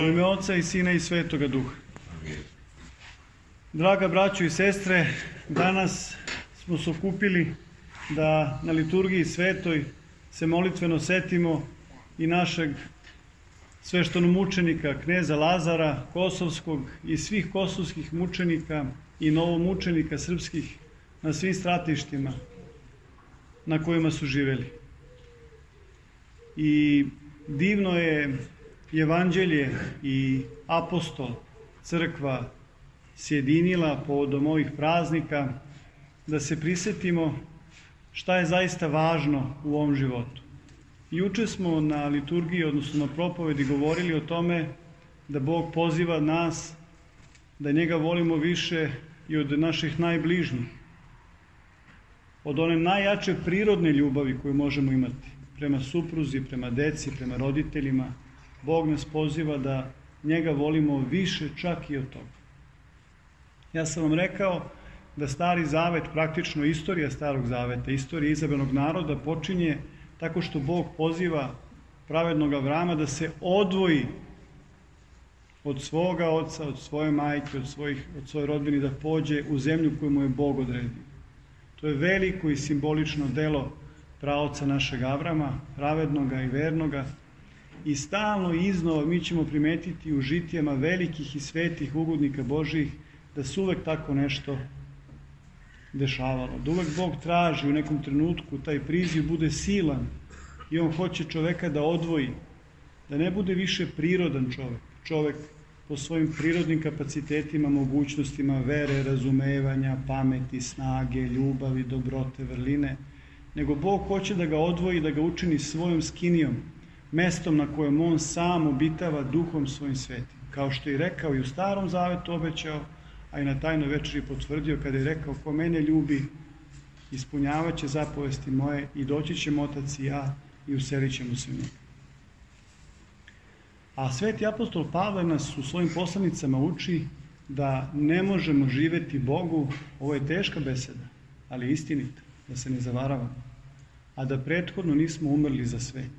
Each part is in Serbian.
U ime Oca i Sina i Svetoga Duha. Draga braćo i sestre, danas smo se okupili da na liturgiji svetoj se molitveno setimo i našeg sveštenomučenika kneza Lazara Kosovskog i svih kosovskih mučenika i novomučenika srpskih na svim stratištima na kojima su živeli. I divno je Evanđelje i apostol, crkva sjedinila povodom ovih praznika da se prisetimo šta je zaista važno u ovom životu. Juče smo na liturgiji, odnosno na propovedi, govorili o tome da Bog poziva nas da njega volimo više i od naših najbližnjih, od one najjače prirodne ljubavi koju možemo imati prema supruzi, prema deci, prema roditeljima. Bog nas poziva da njega volimo više čak i od toga. Ja sam vam rekao da Stari Zavet, praktično istorija Starog Zaveta, istorija izabranog naroda počinje tako što Bog poziva pravednog Avrama da se odvoji od svoga oca, od svoje majke, od svoje rodbine, da pođe u zemlju koju mu je Bog odredio. To je veliko i simbolično delo praoca našeg Avrama, pravednoga i vernoga. I stalno i iznova mi ćemo primetiti u žitijama velikih i svetih ugodnika Božjih da se uvek tako nešto dešavalo. Da uvek Bog traži u nekom trenutku taj priziv bude silan i on hoće čoveka da odvoji, da ne bude više prirodan čovek. Čovek po svojim prirodnim kapacitetima, mogućnostima vere, razumevanja, pameti, snage, ljubavi, dobrote, vrline, nego Bog hoće da ga odvoji, da ga učini svojom skinijom, mestom na kojem on sam obitava duhom svojim svetim. Kao što je rekao i u Starom Zavetu obećao, a i na tajnoj večeri potvrdio kada je rekao: ko mene ljubi, ispunjavat će zapovesti moje i doći ćemo Otac i ja i uselit ćemo se u njega. A sveti apostol Pavle nas u svojim poslanicama uči da ne možemo živeti Bogu, ovo je teška beseda, ali istinita, da se ne zavaravamo, a da prethodno nismo umrli za svet.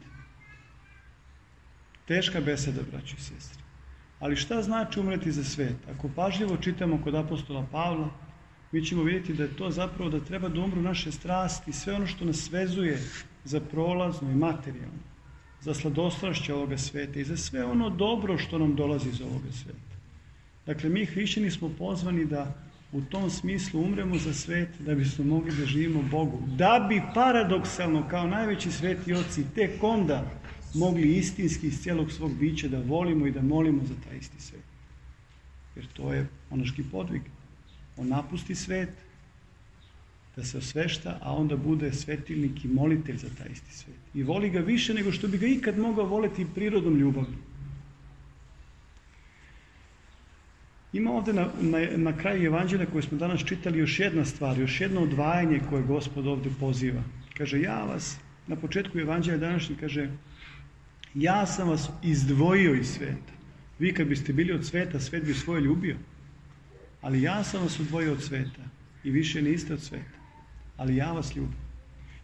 Teška beseda, braći i sestre. Ali šta znači umreti za svet? Ako pažljivo čitamo kod apostola Pavla, mi ćemo vidjeti da je to zapravo da treba da umru naše strasti, sve ono što nas vezuje za prolazno i materijalno, za sladostrašće ovoga sveta i za sve ono dobro što nam dolazi iz ovoga sveta. Dakle, mi hrišćani smo pozvani da u tom smislu umremo za svet, da bismo mogli da živimo Bogu. Da bi paradoksalno, kao najveći sveti oci, tek onda mogli istinski iz cijelog svog bića da volimo i da molimo za taj isti svet. Jer to je monaški podvig. On napusti svet, da se osvešta, a onda bude svetilnik i molitelj za taj isti svet. I voli ga više nego što bi ga ikad mogao voleti prirodom ljubavi. Ima ovde na kraju Evanđelja koje smo danas čitali još jedna stvar, još jedno odvajanje koje Gospod ovde poziva. Kaže, ja vas, na početku Evanđelja današnji kaže, ja sam vas izdvojio iz sveta. Vi kad biste bili od sveta, svet bi svoje ljubio. Ali ja sam vas odvojio od sveta i više niste od sveta. Ali ja vas ljubim.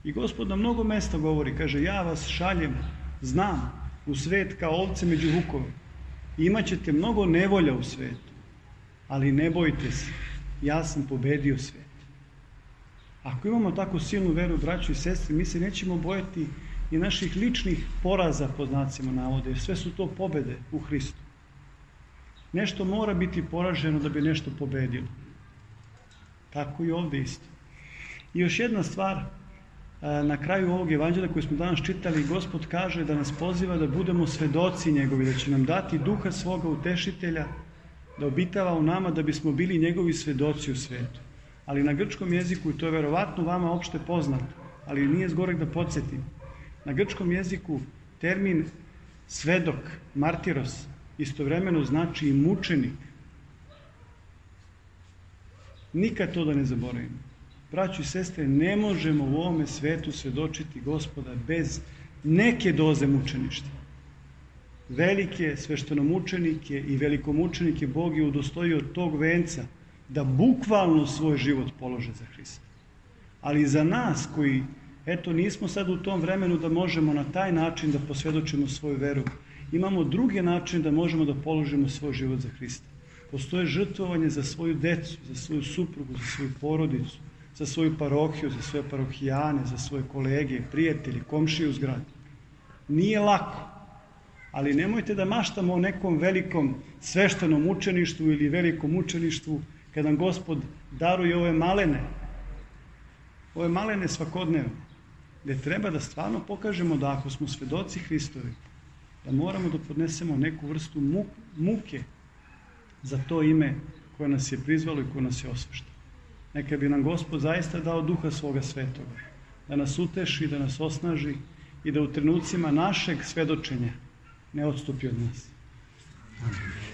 I Gospod na mnogo mesta govori, kaže, ja vas šaljem, znam, u svet kao ovce među vukove. Imaćete mnogo nevolja u svetu, ali ne bojte se, ja sam pobedio svet. Ako imamo tako silnu veru, braćo i sestre, mi se nećemo bojati i naših ličnih poraza, pod znacima navoda, jer sve su to pobede u Hristu. Nešto mora biti poraženo da bi nešto pobedilo. Tako i ovde isto. I još jedna stvar, na kraju ovog evanđelja koje smo danas čitali, Gospod kaže da nas poziva da budemo svedoci njegovi, da će nam dati duha svoga utešitelja, da obitava u nama da bismo bili njegovi svedoci u svetu. Ali na grčkom jeziku, i to je verovatno vama opšte poznato, ali nije zgorek da podsjetim, na grčkom jeziku termin svedok, martiros, istovremeno znači i mučenik. Nikad to da ne zaboravimo. Braćo i sestre, ne možemo u ovome svetu svedočiti Gospoda bez neke doze mučeništva. Velike sveštenomučenike i velikomučenike Bog je udostojio tog venca da bukvalno svoj život polože za Hrista. Ali za nas koji, eto, nismo sad u tom vremenu da možemo na taj način da posvjedočimo svoju veru, imamo druge načine da možemo da položimo svoj život za Hrista. Postoje žrtvovanje za svoju decu, za svoju suprugu, za svoju porodicu, za svoju parohiju, za svoje parohijane, za svoje kolege, prijatelje, komšije u zgradi. Nije lako, ali nemojte da maštamo o nekom velikom sveštenom učeništvu ili velikom učeništvu kad nam Gospod daruje ove malene svakodnevne, gde treba da stvarno pokažemo da ako smo svedoci Hristovi, da moramo da podnesemo neku vrstu muke za to ime koje nas je prizvalo i koje nas je osveštalo. Neka bi nam Gospod zaista dao Duha svoga Svetoga, da nas uteši, da nas osnaži i da u trenucima našeg svedočenja ne odstupi od nas. Amen.